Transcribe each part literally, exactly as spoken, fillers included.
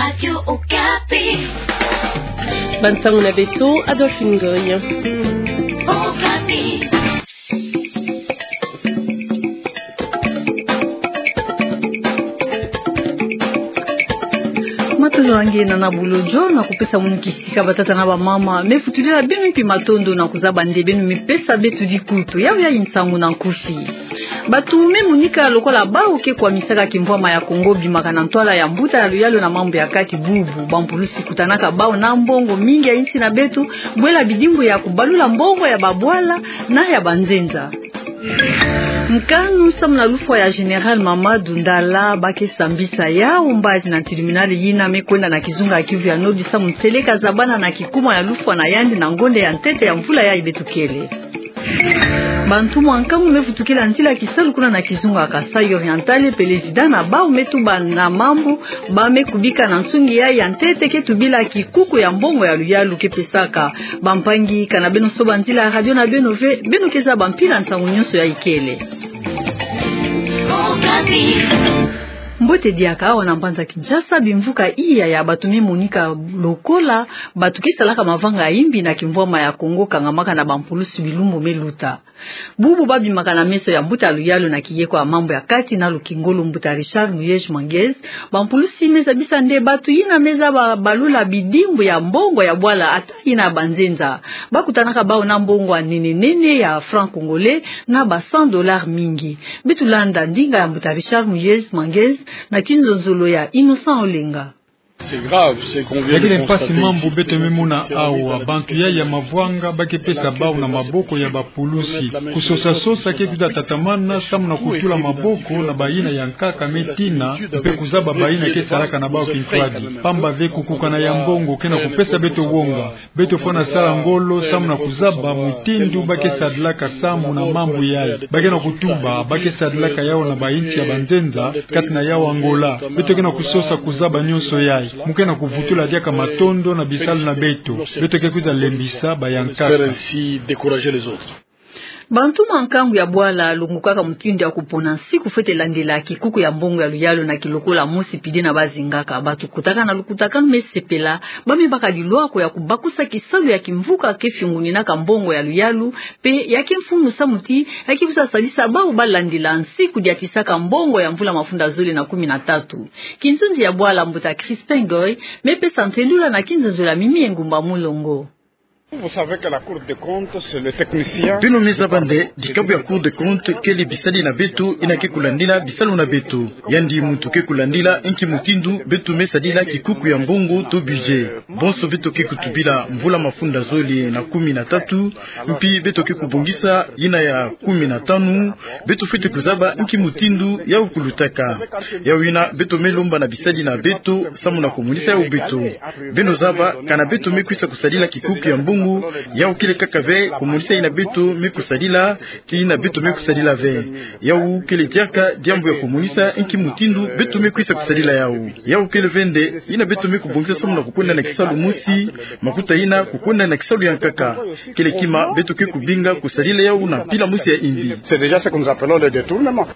Radio Okapi. Bansango na beto, Adolphine Ngoy. Okapi. Matondo na nge na bulo dio na kupesa munu kisika, batata na bamama. Me futulila beno mpi matondo na kuzaba nde beno me pesa beto dikutu. Yau ya nsangu na nkufi. Bato me monika lokola bawu ke kwamisaka kimvwama ya Kongo bimaka na ntwala ya mbuta ya luyalu na mambu ya kati bubu. Bampulusi kutanaka bawu na mbongo mingi ya insi na beto, bwela bidimbu ya kubalula mbongo ya babwala na ya banzenza. Nkanu samu na lufwa ya Général Mamadou Ndala ba ke sambisa yawu mbazi na tribunal yina me kwenda na kizunga ya Kivu ya Nord samu nseleka zabana na kikuma ya lufwa na yandi na ngonde ya ntete ya mvula yayi beto kele. Bantumwa nkangu me vutukila nzila kisalu kuna na kizunga ya Kasaï Oriental, président na bawu me tuba na mambu ba me kubika na nsungi yayi ya ntete ke tubila kikuku ya mbongo ya luyalu ke pesaka. Bampangi, kana beno soba nzila ya radio na beno ve, beno ke zaba mpila nsangu nyonso yayi kele. Mbote diaka, awa na mbanza Kinshasa, bimvuka iya ya bato me monika lokola bato ke salaka mavanga ya imbi na kimvwama ya Kongo kangamaka na bampulusi bilumbu me luta. Bubu ba bimaka na meso ya mbuta luyalu na kiyeko ya mambu ya kati na lukingolo, mbuta Richard Muyej Manguez, bampulusi me zabisa nde bato yina me zaba balula bidimbu ya mbongo ya bwala ata yina ya banzenza. Ba kutanaka bawu na mbongo ya nene nene ya franc congolais na ba cent dollars mingi. Beto landa ndinga ya mbuta Richard Muyej Manguez na kinzonzolo ya Innocent Olenga. Ya kele mpasi mambu beto me mona awa, bantu yayi ya mavwanga ba ke pesa bawu na maboko ya bapulusi. Kusosa-sosa ke kwiza tatamana samu na kutula maboko na bayina ya nkaka me tina, mpe kuzaba bayina ke salaka na bawu kintwadi. Pamba ve kukukana ya mbongo ke na kupesa beto wonga. Beto fwana sala ngolo samu na kuzaba mutindu ba ke sadilaka samu na mambu yayi. Ba ke na kutuba ba ke sadilaka yawu na bainsi ya banzenza, kati na yawu Angola. Beto ke na kusosa kuzaba nyonso yayi. Mu ke na kuvutula diaka matondo na bisalu na beto. Beto ke kwiza lembisa bayankaka. Bantu ma nkangu ya bwala longokaka mutindu ya kupona nsiku fwete landila kikuku ya mbongo ya luyalu na kilokola mosi pide na ba zingaka. Bato kotaka na lukutakanu me sepela, ba me baka lilwako ya kubakusa kisalu ya kimvuka ke fiunguninaka mbongo ya luyalu, mpe ya ke mfunu samu ti ya ke kwiza sadisa bawu ba landila nsiku diatisaka mbongo ya mvula mafunda zole na kumi na tatu. Kinzonzi ya bwala, mbuta Crispin Ngoy me pesa ntendula na kinzonzolo ya Mimi Engumba Mulongo. Vous savez que la Cour des comptes, c'est le technicien. Beno me zaba nde dikabu ya Cour des comptes kele bisadi na beto yina ke kulandila bisalu na beto. Yandi muntu ke kulandila inki mutindu beto me sadila kikuku ya mbongo to budget. Bonso beto ke kutubila mvula mafunda zole na kumi na tatu, mpi beto ke kubongisa yina ya kumi na tanu, beto fwete kuzaba inki mutindu yawu kulutaka. Yawu yina beto me lomba na bisadi na beto samu na kumonisa yawu beto. Beno zaba, kana beto me kwisa kusadila kikuku ya mbongo, yawu kele kaka ve kumonisa yina beto me kusadila, ti yina beto me kusadila ve. Yawu kele diaka diambu ya kumonisa inki mutindu beto me kwisa kusadila yawu. Yawu kele ve nde yina beto me kubongisa samu na kukwenda na kisalu mosi, makuta yina kukwenda na kisalu ya nkaka. Kele kima beto ke kubinga kusadila yawu na mpila mosi ya imbi. C'est déjà ce que nous appelons le détournement.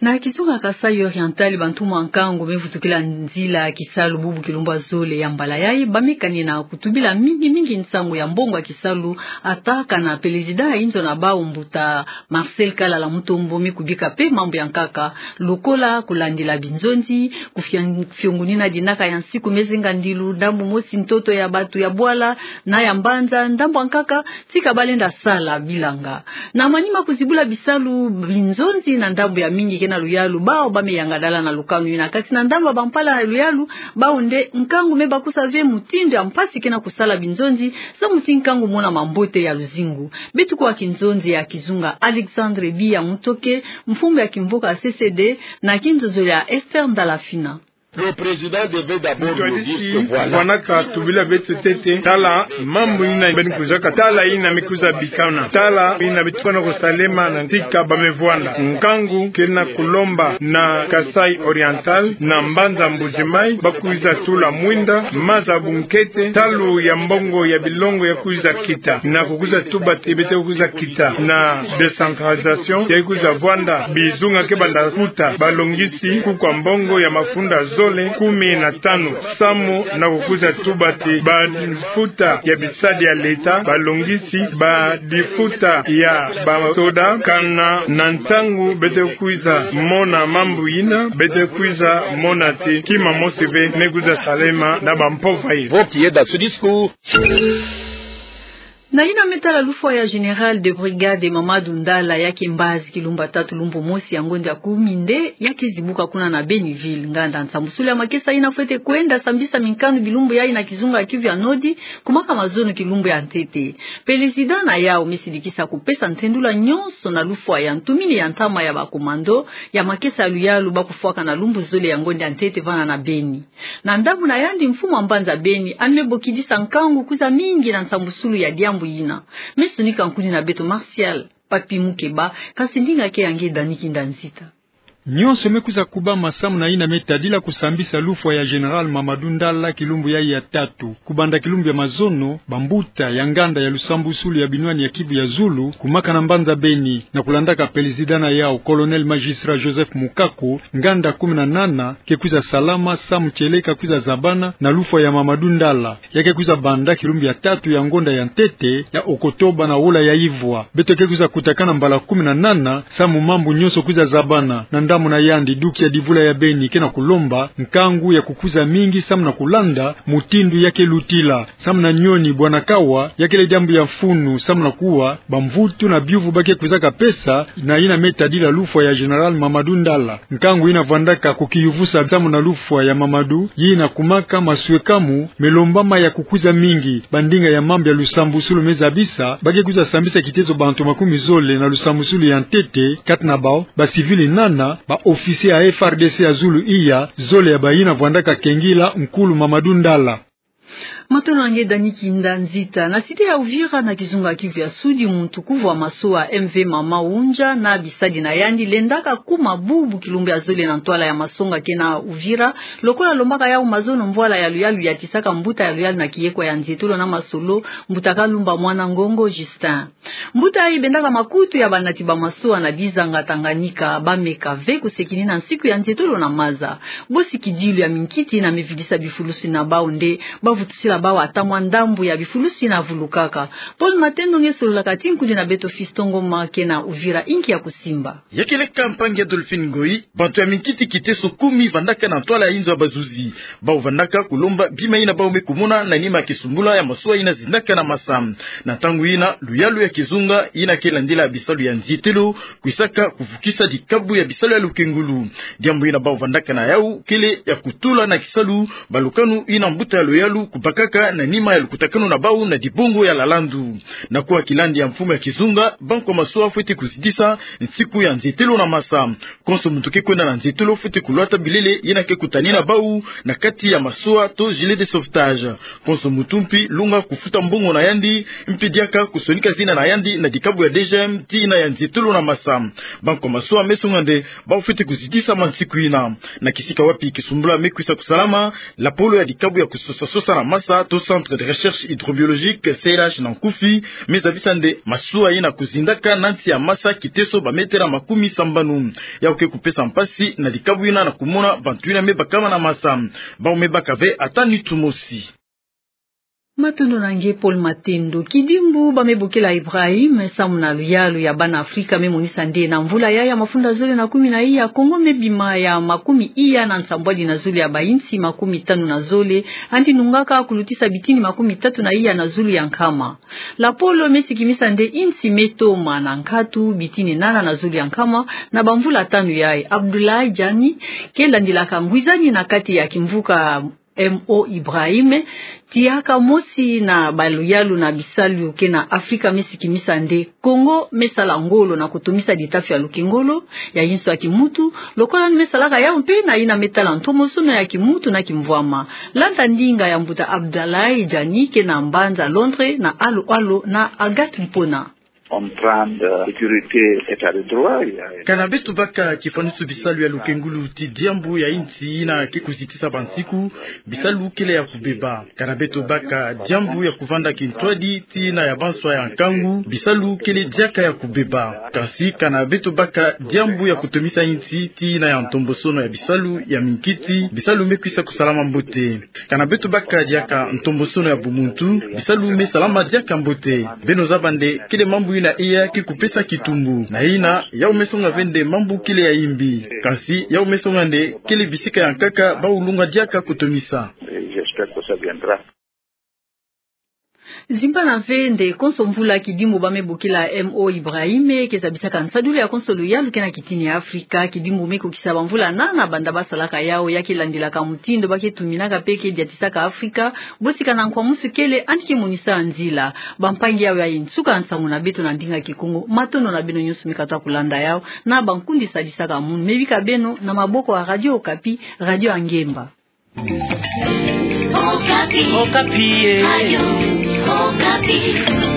Na kizunga Kasaï Oriental, bantu ma nkangu me vutukila nzila kisalu bubu kilumbu ya zole ya mbala yayi, ba me kani na kutubila mingi mingi nsangu ya mbongo ya kisalu, ata kana président ya inzo na bawu, mbuta Marcel Kalala Mutombo, me kubika mpe mambu ya nkaka, lokola kulandila binzonzi, kufiang-, kufiungunina dinaka ya nsiku me zenga ndilu, ndambu mosi ntoto ya bato ya bwala na ya mbanza, ndambu ya nkaka tika ba lenda sala bilanga. Na manima kuzibula bisalu binzonzi na ndambu ya mingi ke na luyalu, bawu ba me yangadala na lukanu yina. Kasi na ndambu ya bampala ya luyalu, bawu nde nkangu me bakusa ve mutindu ya mpasi ke na kusala binzonzi, samu ti nkangu monama mbote ya luzingu. Beto kuwa kinzonzi ya kizunga Alexandre Biya Mutoke, mfumu ya kimvuka C C D, na kinzonzolo ya Esther Ndalafina. Le président devait d'abord nous dire que voilà. Moto ya disi fwanaka tubila beto ntete, tala mambu yina beno kwizaka, tala yina me kwiza bikana, tala yina beto fwana kusalema na ntika ba me vwanda. Nkangu ke na kulomba na Kasaï Oriental, na mbanza Mbuji-Mayi, ba kwiza tula mwinda, maza bunkete, ntalu ya mbongo ya bilongo ya kwiza kita, na kukwiza tuba ti beto kwiza kita na décentralisation, ya kwiza vwanda bizunga ke banda kuta, balongisi kikuku ya mbongo ya mafunda zo- zole kumi na tanu, samu na kukwiza tuba ti badifuta ya bisadi ya leta, balongisi, badifuta ya basoda, kana na ntangu beto kwiza mona mambu yina, beto kwiza mona ti kima mosi ve me kwiza salema na bampova yi. Voti yeda su discours. Na yina me tala lufwa ya Général de Brigade Mamadou Ndala, ya ke mbazi kilumbu ya tatu lumbu mosi ya ngonde ya kumi nde ya ke zibuka kuna na Beni-Ville. Nganda nsambusulu ya makesa yina fwete kwenda sambisa minkanu bilumbu yayi na kizunga ya Kivu ya Nord, kumaka mazono kilumbu ya ntete. Pelezida na yawu me sidikisa kupesa ntendula nyonso na lufwa ya ntumini ya ntama ya bakomando ya makesa ya luyalu ba kufwaka na lumbu zole ya ngonde ya ntete vana na Beni. Na ndambu na yandi, mfumu wa mbanza Beni yandi me bokidisa nkangu kwiza mingi na nsambusulu ya diambu yina. Me sonika nkuni na beto Martial Papi Mukeba, kasi ndinga ke ya nge Dani Kinda Nzita. Nyonso me kwiza kubama samu na yina me tadila kusambisa lufwa ya Général Mamadou Ndala kilumbu yayi ya tatu. Kubanda kilumbu ya mazono, bambuta ya nganda ya lusambusulu ya binwani ya Kivu ya Zulu kumaka na mbanza Beni, na kulandaka pelezida na yawu, Colonel Magistrat Joseph Mukako, nganda kumi na nana ke kwiza salama samu kieleka kwiza zabana na lufwa ya Mamadou Ndala, ya ke kwiza banda kilumbu ya tatu ya ngonda ya ntete ya Okotoba na wola ya ivwa. Beto ke kwiza kutakana mbala kumi na nana samu mambu nyonso kwiza zabana. Na ndambu na yandi, duki ya divula ya Beni ke na kulomba nkangu ya kukwiza mingi samu na kulanda mutindu ya ke lutila. Samu na nyoni, bwana Kawa, ya kele diambu ya mfunu samu na kuwa bamvutu na biuvu ba ke kwizaka pesa na yina me tadila lufwa ya Général Mamadou Ndala. Nkangu yina vwandaka kukiyuvusa samu na lufwa ya Mamadou, yina kumaka maswekamu me lombama ya kukwiza mingi. Bandinga ya mambu ya lusambusulu me zabisa, ba ke kwiza sambisa kitezo bantu makumi zole na lusambusulu ya ntete, kati na bawu ba civil nana, ba officier ya F R D C ya zulu iya, zole ya bayina vwandaka kengila nkulu Mamadou Ndala. Matondo na nge Dani Kinda Nzita. Na cité ya Uvira na kizunga Kivu ya Sudi, muntu kuvwa masoa M V Mama Wunja na bisadi na yandi lendaka kuma bubu kilumbu ya zole na ntwala ya masonga ke na Uvira, lokola lombaka yawu mazono mvwala ya luyalu yatisaka mbuta ya luyalu na kiyekwa ya nzietolo na masolo, mbuta Kalumba Mwana Ngongo Justin. Mbuta yayi bendaka makutu ya banati ba masoa na dizanga Tanganyika, ba meka ve kusekinina nsiku ya nzietolo na maza. Bosi kidilu ya minkiti yina me vidisa bifulusi na bawu nde ba vutusila bawu ata mwa ndambu ya bifulusi yina vulukaka. Paul Matendo nge sololaka ti nkudi na beto Fiston Ngoma ke na Uvira, inki ya kusimba. Ya kele ka mpangi Adolphine Ngoyi, bantu ya minkiti kiteso kumi vandaka na ntwala ya inzo ya bazuzi. Bawu vandaka kulomba bima yina bawu me kumona na nima ya kisumbula ya masoa yina zindaka na masa. Na ntangu yina, luyalu ya kizunga yina ke landila bisalu ya nzietolo kwisaka kuvukisa dikabu ya bisalu ya lukengulu. Diambu yina bawu vandaka na yawu kele ya kutula na kisalu balukanu yina mbuta ya luyalu kubakaka na nima ya lukutakanu na bawu na dibungu ya Lalandu. Na kuwa kilandi ya mfumu ya kizunga, banko ya masoa fwete kuzidisa nsiku ya nzietolo na masa. Konso muntu ke kwenda na nzietolo fwete kulwata bilele yina ke kutanina bawu na kati ya masoa to gilet de sauvetage. Konso muntu mpi lunga kufuta mbongo na yandi, mpi diaka kusonika zina na yandi na dikabu ya D G M ti yina ya nzietolo na masa. Banko ya masoa me songa nde bawu fwete kuzidisa mwa nsiku yina. Na kisika wapi kisumbula me kwisa kusalama, lapolo ya dikabu ya kusosa sosa na masa to Centre de Recherche Hydrobiologique, C R H na nkufi, me zabisa nde masoa yina kuzindaka na nsi ya masa kiteso ba metela makumi sambanu. Yawu ke kupesa mpasi na dikabu yina na kumona bantu yina me bakama na masa. Bawu me baka ve ata nitu mosi. Matondo na nge Paul Matendo. Kidimbu ba me bokila Ibrahim samu na luyalu ya bana Afrika me monisa nde na mvula yayi ya mafunda zole na kumi na iya, Kongo me bima ya makumi iya na nsambwadi na zulu ya bainsi makumi tanu na zole, yandi nungaka kulutisa bitini makumi tatu na iya na zulu ya nkama. Lapolo me sikimisa nde insi me toma na nkatu bitini nana na zulu ya nkama na bamvula tanu yayi. Abdoulaye Diani ke landilaka ngwizani na kati ya kimvuka Mo Ibrahim, tiaka mosi na baluyalu na bisalu ke na Afrika me sikimisa nde Kongo me sala ngolo na kutumisa ditafi ya lukengolo, ya inso ya kimuntu, lokola ni me salaka yawu mpe na yina me tala ntomosono ya kimuntu na kimvwama. Landa ndinga ya mbuta Abdoulaye Diani ke na mbanza Londres na alo alo na Agathe Mpona. Kana beto baka kifanisu bisalu ya lukengulu ti diambu ya insi ina ke kuzitisa bansiku, bisalu kele ya kubeba. Kana beto baka diambu ya kuvanda kintwadi ti ina ya banswa ya nkangu, bisalu kele diaka ya kubeba. Kansi kana beto baka diambu ya kutomisa insi ti ina ya ntombosono ya bisalu ya minkiti, bisalu me kwisa kusalama mbote. Kana beto baka diaka ntombosono ya bumuntu, bisalu me salama diaka mbote. Beno zaba nde kele mambu ina iya ke kupesa kitumbu. Na ina, yau me songa ve nde mambu kele ya imbi. Kansi, yau me songa nde kele bisika ya nkaka bawulunga diaka kutomisa. Zimbana ve nde konso mvula kidimbu ba me bokila Mo Ibrahim ke zabisaka nsadulu ya konso luyalu ke na kitini ya Afrika, kidimbu me kukisa bamvula nana banda basalaka yau, ya ke landilaka mutindu ba ke tuminaka pe ke diatisaka Afrika, bosi kana nkwa musu kele, yandi ke monisa nzila. Bampangi, yau yayi nsuka nsangu na beto na ndinga Kikongo. Matondo na beno nyonso me katuka kulanda yau na bankundi sadisaka munu. Me bika beno na maboko ya Radio Okapi, radio ya ngemba. Okapi. Okapi, eh. Radio Okapi.